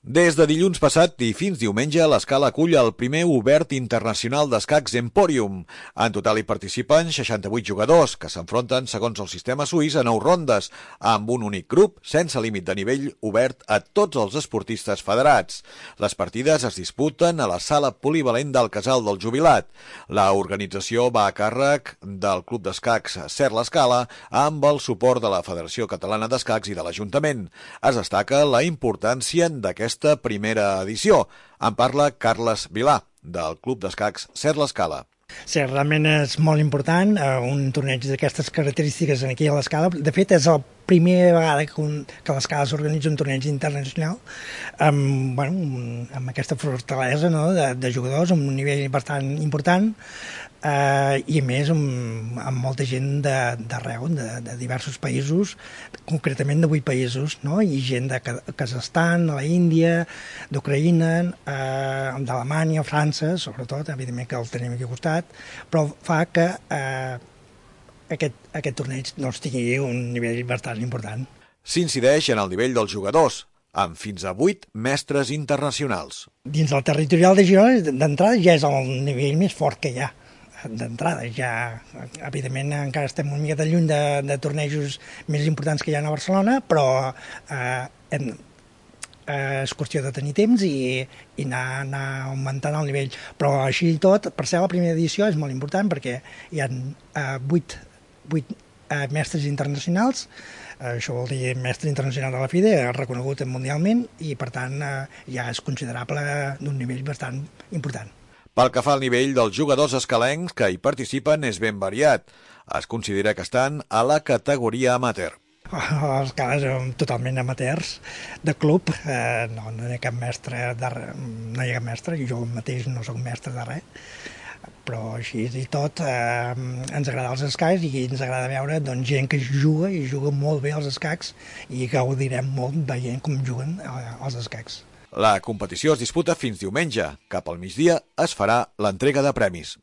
Des de dilluns passat i fins diumenge, l'Escala acull el primer Obert Internacional d'Escacs Emporium. En total hi participen 68 jugadors, que s'enfronten, segons el sistema suís, a 9 rondes, amb un únic grup, sense límit de nivell, obert a tots els esportistes federats. Les partides es disputen a la sala polivalent del Casal del Jubilat. La organització va a càrrec del Club d'Escacs Ser l'Escala, amb el suport de la Federació Catalana d'Escacs i de l'Ajuntament. Es destaca la importància d'aquesta primera edició. En parla Carles Vilà, del Club d'Escacs Ser l'Escala. Sí, realment és molt important, un torneig d'aquestes característiques aquí a l'Escala. De fet, és la primera vegada que a l'Escala s'organitza un torneig internacional amb aquesta fortalesa, no?, de jugadors, amb un nivell bastant important, i a més amb molta gent d'arreu, de diversos països, concretament de 8 països, no?, i gent de Kazakhstan, de l'Índia, d'Ucraïna, d'Alemanya, França, sobretot, evidentment que el tenim aquí al costat, però fa que aquest torneig tingui un nivell bastant important. S'incideix en el nivell dels jugadors, amb fins a 8 mestres internacionals. Dins del territorial de Girona, d'entrada, ja és el nivell més fort que hi ha. D'entrada, ja, evidentment, encara estem una mica lluny de tornejos més importants que hi ha a Barcelona, però és qüestió de tenir temps i anar augmentant el nivell. Però així i tot, per ser la primera edició és molt important perquè hi ha 8 mestres internacionals, això vol dir mestre internacional de la FIDE, reconegut mundialment, i per tant ja és considerable d'un nivell bastant important. Pel que fa al nivell dels jugadors escalencs que hi participen és ben variat. Es considera que estan a la categoria amateur. Els casos són totalment amateurs de club, no hi ha cap mestre, jo mateix no soc mestre de res, però així i tot ens agrada els escacs i ens agrada veure gent que juga i juga molt bé als escacs i gaudirem molt veient com juguen els escacs. La competició es disputa fins diumenge. Cap al migdia es farà l'entrega de premis.